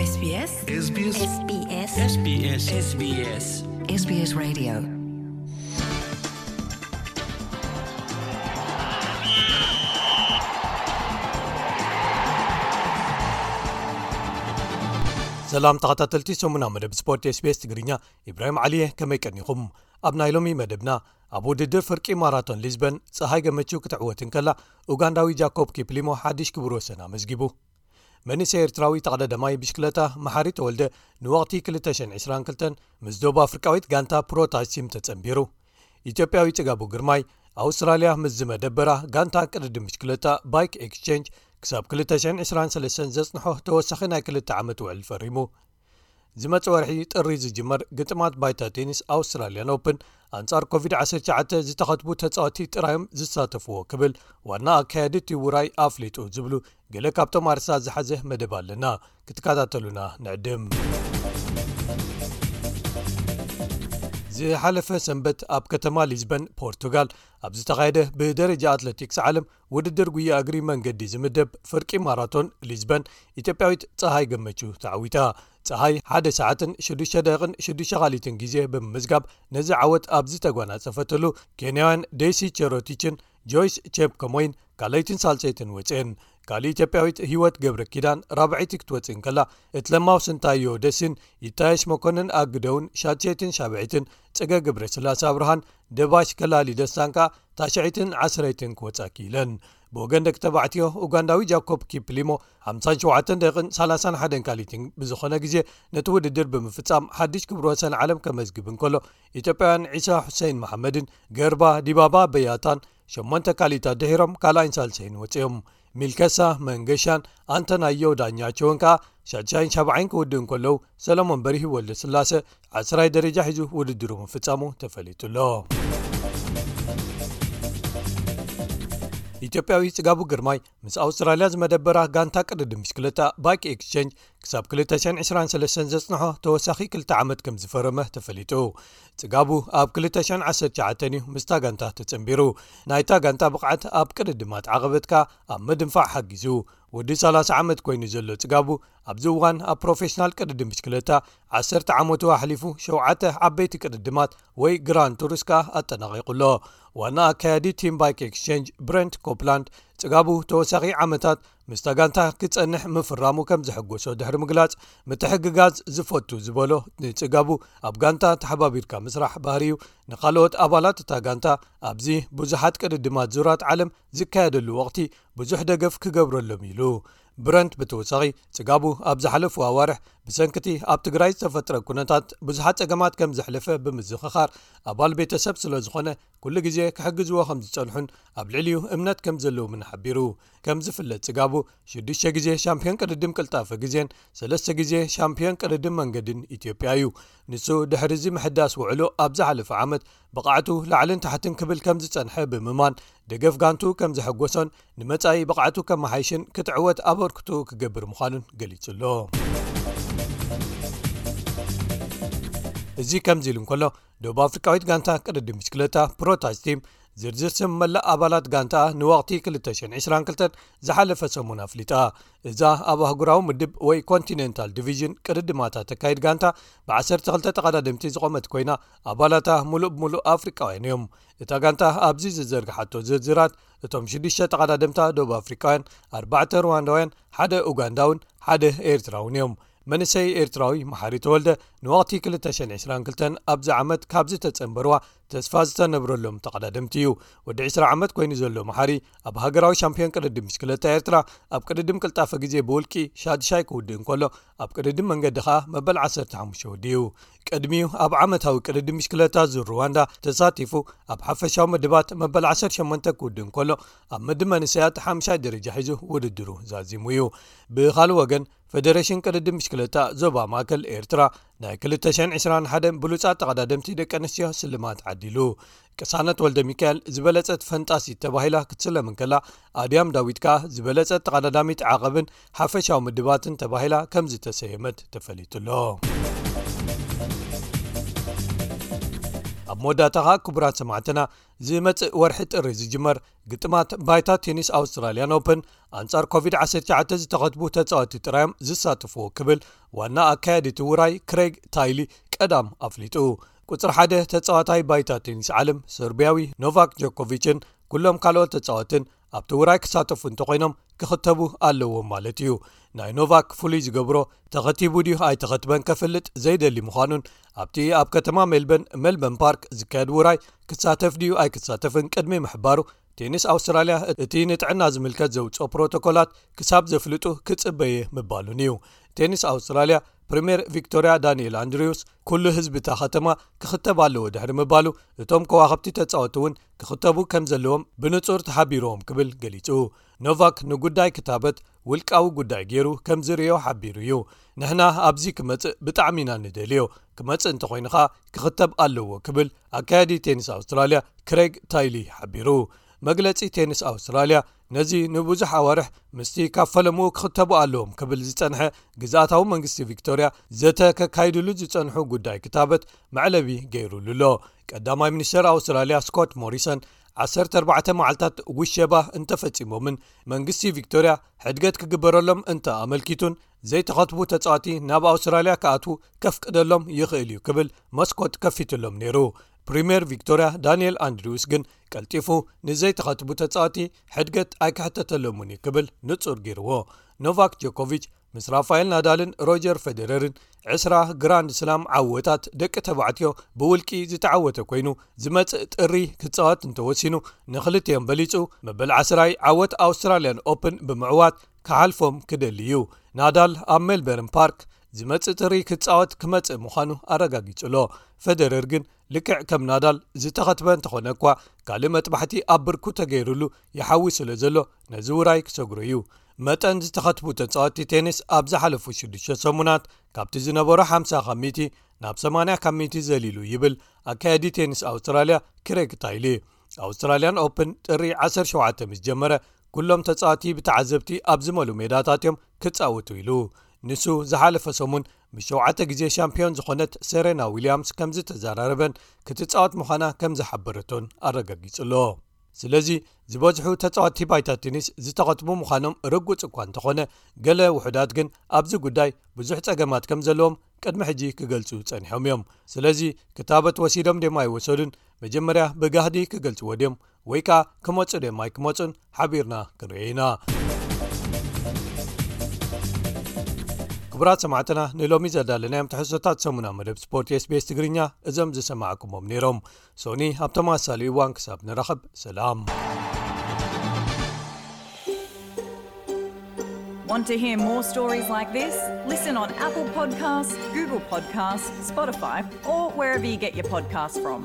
SBS SBS SBS SBS SBS Radio. ሰላም ተኸታተልቲ ሰሙና መደብ ስፖርት SBS ትግርኛ፣ ኢብራሂም ዓሊየ፣ ከመይ ቀኒኹም? ኣብ ናይ ሎሚ መደብና፣ ኣብ ውድድር ፍርቂ ማራቶን ሊዝበን፣ ጸሃይ ገመቹ ክትዕወት እንከላ፣ ኡጋንዳዊ ጃኮብ ኪፕሊሞ ሓድሽ ክብረ ወሰን ኣመዝጊቡ። መንእሰይ ኤርትራዊ ተቐዳዳማይ ብሽክለታ መሓሪ ተወልደ፣ ንወቕቲ ክልተ ሽሕን ዕስራን ክልተን ምስ ደቡብ ኣፍሪቃዊት ጋንታ ፕሮታሲም ተጸንቢሩ። ኢትዮጵያዊ ጽጋቡ ግርማይ፣ ኣውስትራልያ ምስ ዝመደበራ ጋንታ ቅድድም ብሽክለታ ባይክ ኤክስቼንጅ ክሳብ ክልተ ሽሕን ዕስራን ሰለስተን ዘጽንሖ ተወሳኺ ናይ ክልተ ዓመት ውዕል ፈሪሙ። ዝመጽእ ወርሒ ጥሪ ዝጅመር ግጥማት ባይታ ቴኒስ ኣውስትራልያን ኦፕን ኣንጻር ኮቪድ ዓሰርተ ትሽዓተ ዝተኸትቡ ተጻወትቲ ጥራዮም ዝሳተፍዎ ክብል ዋና ኣካያዲ እቲ ውራይ ኣፍሊጡ ዝብሉ ገለ ካብቶም ኣርእስታት ዝሓዘ መደብ ኣለና። ክትከታተሉና ንዕድም። ዝሓለፈ ሰንበት ኣብ ከተማ ሊዝበን ፖርቱጋል ኣብ ዝተኻየደ ብደረጃ ኣትሌቲክስ ዓለም ውድድር ጉያ እግሪ መንገዲ ዝምደብ ፍርቂ ማራቶን ሊዝበን ኢትዮጵያዊት ጸሃይ ገመቹ ተዓዊታ። ጸሃይ ሓደ ሰዓትን ሽዱሽተ ደቂቕን ሽዱሽተ ካሊትን ግዜ ብምምዝጋብ ነዚ ዓወት ኣብ ዝተጓናጸፈትሉ፣ ኬንያውያን ዴሲ ቸሮቲችን ጆይስ ቼፕከሞይን ካልኣይትን ሳልሰይትን ወጽኤን። ካልእ ኢትዮጵያዊት ህይወት ገብረ ኪዳን ራብዐይቲ ክትወጽእ እንከላ፣ እትለማው ስንታዮ ደሲን ይታየሽ መኮንን ኣግደውን ሻድሸይትን ሻብዐይትን፣ ጽገ ገብረ ስላሴ ኣብርሃን ደባሽ ከላሊ ደስታን ከኣ ታሽዐይትን ዓስረይትን ክወጻ ክኢለን። ብወገን ደቂ ተባዕትዮ፣ ኡጋንዳዊ ጃኮብ ኪፕሊሞ ሓምሳን ሸውዓተን ደቂቕን ሰላሳን ሓደን ካሊትን ብዝኾነ ግዜ ነቲ ውድድር ብምፍጻም ሓድሽ ክብረ ወሰን ዓለም ከመዝግብ እንከሎ፣ ኢትዮጵያውያን ዒሳ ሁሴን መሓመድን ገርባ ዲባባ በያታን ሸሞንተ ካሊታት ድሒሮም ካልኣይን ሳልሰይን ወጺኦም። ሚልከሳ መንገሻን ኣንተናዮ ዳኛቸውን ከኣ ሻድሻይን ሻብዓይን ክውድኡ እንከለዉ፣ ሰለሞን በሪሂ ወልደ ስላሰ ዓስራይ ደረጃ ሒዙ ውድድሩ ምፍጻሙ ተፈሊጡ ኣሎ። ኢትዮጵያዊ ጽጋቡ ግርማይ ምስ ኣውስትራልያ ዝመደበራ ጋንታ ቅድድም ብሽክለታ ባይክ ኤክስቼንጅ ክሳብ ክልተ ሽሕን ዕስራን ሰለስተን ዘጽንሖ ተወሳኺ ክልተ ዓመት ከም ዝፈረመ ተፈሊጡ። ጽጋቡ ኣብ ክልተ ሽሕን ዓሰርተ ትሽዓተን እዩ ምስታ ጋንታ ተጸንቢሩ። ናይታ ጋንታ ብቕዓት ኣብ ቅድድማት ዓቐበት ከኣ ኣብ ምድንፋዕ ሓጊዙ። ወዲ ሰላሳ ዓመት ኮይኑ ዘሎ ጽጋቡ ኣብዚ እዋን ኣብ ፕሮፌሽናል ቅድድም ብሽክለታ ዓሰርተ ዓመቱ ኣሕሊፉ ሸውዓተ ዓበይቲ ቅድድማት ወይ ግራንድ ቱርስ ከኣ ኣጠናቒቑ ኣሎ። ዋና ኣካያዲ ቲም ባይክ ኤክስቼንጅ ብረንት ኮፕላንድ ጽጋቡ ተወሳኺ ዓመታት ምስታ ጋንታ ክጸንሕ ምፍራሙ ከም ዘሐጎሶ ድሕሪ ምግላጽ፣ ምትሕግጋዝ ዝፈቱ ዝበሎ ንጽጋቡ ኣብ ጋንታ ተሓባቢርካ ምስራሕ ባህሪዩ፣ ንኻልኦት ኣባላት እታ ጋንታ ኣብዚ ብዙሓት ቅድድማት ዙራት ዓለም ዝካየደሉ ወቕቲ ብዙሕ ደገፍ ክገብረሎም ኢሉ። ብረንት ብተወሳኺ ጽጋቡ ኣብ ዝሓለፉ ኣዋርሕ ብሰንክቲ ኣብ ትግራይ ዝተፈጥረ ኩነታት ብዙሓት ጸገማት ከም ዘሕለፈ ብምዝኽኻር፣ ኣባል ቤተሰብ ስለ ዝኾነ ኩሉ ግዜ ክሕግዝዎ ከም ዝጸንሑን ኣብ ልዕሊኡ እምነት ከም ዘለዎምን ሓቢሩ። ከም ዝፍለጥ ጽጋቡ ሽዱሽተ ግዜ ሻምፒዮን ቅድድም ቅልጣፈ ግዜን ሰለስተ ግዜ ሻምፒዮን ቅድድም መንገድን ኢትዮጵያ እዩ። ንሱ ድሕሪ እዚ ምሕዳስ ውዕሉ ኣብ ዝሓለፈ ዓመት ብቕዓቱ ላዕልን ታሕትን ክብል ከም ዝጸንሐ ብምማን፣ ደገፍ ጋንቱ ከም ዘሐጎሶን ንመጻኢ ብቕዓቱ ከመሓይሽን ክትዕወት ኣበርክቶ ክገብር ምዃኑን ገሊጹ ኣሎ። እዚ ከምዚ ኢሉ እንከሎ፣ ደቡብ ኣፍሪቃዊት ጋንታ ቅድድም ብሽክለታ ፕሮታጅ ቲም ዝርዝር ስም መላእ ኣባላት ጋንታ ንወቕቲ ክልተ ሽሕን ዕስራን ክልተን ዝሓለፈ ሰሙን ኣፍሊጣ። እዛ ኣብ ኣህጉራዊ ምድብ ወይ ኮንቲኔንታል ዲቪዥን ቅድድማታ ተካይድ ጋንታ ብዓሰርተ ክልተ ተቐዳደምቲ ዝቖመት ኮይና፣ ኣባላታ ሙሉእ ብሙሉእ ኣፍሪቃውያን እዮም። እታ ጋንታ ኣብዚ ዝዘርግሓቶ ዝርዝራት፣ እቶም ሽዱሽተ ተቐዳደምታ ደቡብ ኣፍሪቃውያን፣ ኣርባዕተ ሩዋንዳውያን፣ ሓደ ኡጋንዳውን ሓደ ኤርትራውን እዮም። መንእሰይ ኤርትራዊ መሓሪ ተወልደ ንወቕቲ ክልተ ሽሕን ዕስራን ክልተን ኣብዚ ዓመት ካብ ዝተጸንበርዋ ተስፋ ዝተነብረሎም ተቐዳደምቲ እዩ። ወዲ ዕስራ ዓመት ኮይኑ ዘሎ መሓሪ ኣብ ሃገራዊ ሻምፒዮን ቅድድም ብሽክለታ ኤርትራ ኣብ ቅድድም ቅልጣፈ ግዜ ብውልቂ ሻድሻይ ክውድእ እንከሎ፣ ኣብ ቅድድም መንገዲ ኸኣ መበል ዓሰርተ ሓሙሽተ ወዲኡ። ቅድሚኡ ኣብ ዓመታዊ ቅድድም ብሽክለታ ዙር ሩዋንዳ ተሳቲፉ ኣብ ሓፈሻዊ ምድባት መበል ዓሰርተ ሸሞንተ ክውድእ እንከሎ፣ ኣብ ምድብ መንእሰያት ሓምሻይ ደረጃ ሒዙ ውድድሩ ዛዚሙ እዩ። ብኻልእ ወገን፣ ፈደሬሽን ቅድድም ብሽክለታ ዞባ ማእከል ኤርትራ ናይ ክልተ ሽሕን ዕስራን ሓደን ብሉጻት ተቐዳደምቲ ደቂ ኣንስትዮ ስልማት ዓዲሉ። ቅሳነት ወልደ ሚካኤል ዝበለጸት ፈንጣሲት ተባሂላ ክትስለም እንከላ፣ ኣድያም ዳዊት ከኣ ዝበለጸት ተቐዳዳሚት ዓቐብን ሓፈሻዊ ምድባትን ተባሂላ ከም ዝተሰየመት ተፈሊጡ ኣሎ። ኣብ መወዳእታ ከዓ ክቡራት ሰማዕትና፣ ዝመጽእ ወርሒ ጥሪ ዝጅመር ግጥማት ባይታ ቴኒስ ኣውስትራልያን ኦፕን ኣንጻር ኮቪድ ዓሰርተ ትሽዓተ ዝተኸትቡ ተጻወቲ ጥራዮም ዝሳተፍዎ ክብል ዋና ኣካያዲ እቲ ውራይ ክሬግ ታይሊ ቀዳም ኣፍሊጡ። ቁጽሪ ሓደ ተጻዋታይ ባይታ ቴኒስ ዓለም ሰርቢያዊ ኖቫክ ጆኮቪችን ኩሎም ካልኦት ተጻወትን ኣብቲ ውራይ ክሳተፉ እንተኾይኖም ክኽተቡ ኣለዎም ማለት እዩ። ናይ ኖቫክ ፍሉይ ዝገብሮ ተኸቲቡ ድዩ ኣይተኸትበን ከፍልጥ ዘይደሊ ምዃኑን ኣብቲ ኣብ ከተማ ሜልበን ሜልበን ፓርክ ዝካየድ ውራይ ክሳተፍ ድዩ ኣይክሳተፍን ቅድሚ ምሕባሩ ቴኒስ ኣውስትራልያ እቲ ንጥዕና ዝምልከት ዘውፅኦ ፕሮቶኮላት ክሳብ ዘፍልጡ ክፅበየ ምባሉን እዩ። ቴኒስ ኣውስትራልያ ፕሪምየር ቪክቶርያ ዳንኤል ኣንድሪውስ ኩሉ ህዝቢ እታ ከተማ ክኽተብ ኣለዎ ድሕሪ ምባሉ እቶም ከዋኽብቲ ተፃወቲ እውን ክኽተቡ ከም ዘለዎም ብንፁር ተሓቢርዎም ክብል ገሊፁ። ኖቫክ ንጉዳይ ክታበት ውልቃዊ ጉዳይ ገይሩ ከም ዝርእዮ ሓቢሩ እዩ። ንሕና ኣብዚ ክመጽእ ብጣዕሚ ኢና ንደልዮ። ክመጽእ እንተኾይኑ ኸኣ ክኽተብ ኣለዎ ክብል ኣካያዲ ቴኒስ ኣውስትራልያ ክሬግ ታይሊ ሓቢሩ። መግለጺ ቴኒስ ኣውስትራልያ ነዚ ንብዙሕ ኣዋርሕ ምስቲ ካብ ፈለምኡ ክኽተቡ ኣለዎም ክብል ዝጸንሐ ግዝኣታዊ መንግስቲ ቪክቶርያ ዘተ ከካይድሉ ዝጸንሑ ጉዳይ ክታበት መዕለቢ ገይሩሉ ኣሎ። ቀዳማይ ሚኒስተር ኣውስትራልያ ስኮት ሞሪሰን ዓሰርተ ኣርባዕተ መዓልታት ውሸባ እንተፈጺሞምን መንግስቲ ቪክቶርያ ሕድገት ክግበረሎም እንተ ኣመልኪቱን ዘይተኸትቡ ተጻዋቲ ናብ ኣውስትራልያ ክኣትዉ ከፍቅደሎም ይኽእል እዩ ክብል መስኮት ከፊትሎም ነይሩ። ፕሪምየር ቪክቶርያ ዳንኤል ኣንድሪውስ ግን ቀልጢፉ ንዘይተኸትቡ ተጻዋቲ ሕድገት ኣይክሕተተሎምን እዩ ክብል ንጹር ገይርዎ። ኖቫክ ጆኮቪች ምስ ራፋኤል ናዳልን ሮጀር ፌደረርን ዕስራ ግራንድ ስላም ዓወታት ደቂ ተባዕትዮ ብውልቂ ዝተዓወተ ኮይኑ ዝመጽእ ጥሪ ክጻወት እንተወሲኑ ንኽልቲኦም በሊጹ መበል ዓስራይ ዓወት ኣውስትራልያን ኦፕን ብምዕዋት ክሓልፎም ክደሊ እዩ። ናዳል ኣብ ሜልበርን ፓርክ ዝመጽእ ጥሪ ክጻወት ክመጽእ ምዃኑ ኣረጋጊጹ ኣሎ። ፌደረር ግን ልክዕ ከም ናዳል ዝተኸትበ እንተኾነ እኳ ካልእ መጥባሕቲ ኣብ ብርኩ ተገይሩሉ ይሓዊ ስለ ዘሎ ነዚ ውራይ ክሰግሮ እዩ። መጠን ዝተኸትቡ ተጻወትቲ ቴኒስ ኣብ ዝሓለፉ ሽዱሽተ ሰሙናት ካብቲ ዝነበሮ ሓምሳ ካብ ሚእቲ ናብ ሰማንያ ካብ ሚእቲ ዘሊሉ ይብል ኣካያዲ ቴኒስ ኣውስትራልያ ክሬግ ታይሊ። ኣውስትራልያን ኦፕን ጥሪ ዓሰርተ ሸውዓተ ምስ ጀመረ ኩሎም ተጻወቲ ብተዓዘብቲ ኣብ ዝመሉ ሜዳታት እዮም ክጻወቱ ኢሉ። ንሱ ዝሓለፈ ሰሙን ምስ ሸውዓተ ግዜ ሻምፒዮን ዝኾነት ሴሬና ዊልያምስ ከም ዝተዘራረበን ክትጻወት ምዃና ከም ዝሓበረቶን ኣረጋጊጹ ኣሎ። ስለዚ ዝበዝሑ ተጻወትቲ ባይታ ቴኒስ ዝተኸትቡ ምዃኖም ርጉጽ እኳ እንተኾነ ገለ ውሑዳት ግን ኣብዚ ጉዳይ ብዙሕ ጸገማት ከም ዘለዎም ቅድሚ ሕጂ ክገልጹ ጸኒሖም እዮም። ስለዚ ክታበት ወሲዶም ድዮም ኣይወሰዱን መጀመርያ ብጋህዲ ክገልጽዎ ድዮም ወይ ከኣ ክመጹ ድዮም ኣይክመጹን ሓቢርና ክንርእዮ ኢና። ክቡራት ሰማዕትና ንሎሚ ዘዳለናዮም ትሕዝቶታት ሰሙና መደብ ስፖርት ኤስቢኤስ ትግርኛ እዞም ዝሰማዕኩሞም ነይሮም። ሶኒ ኣብ ተመሳሳሊ እዋን ክሳብ ንራኸብ ሰላም። Want to hear more stories like this? Listen on Apple Podcasts, Google Podcasts, Spotify, or wherever you get your podcasts from.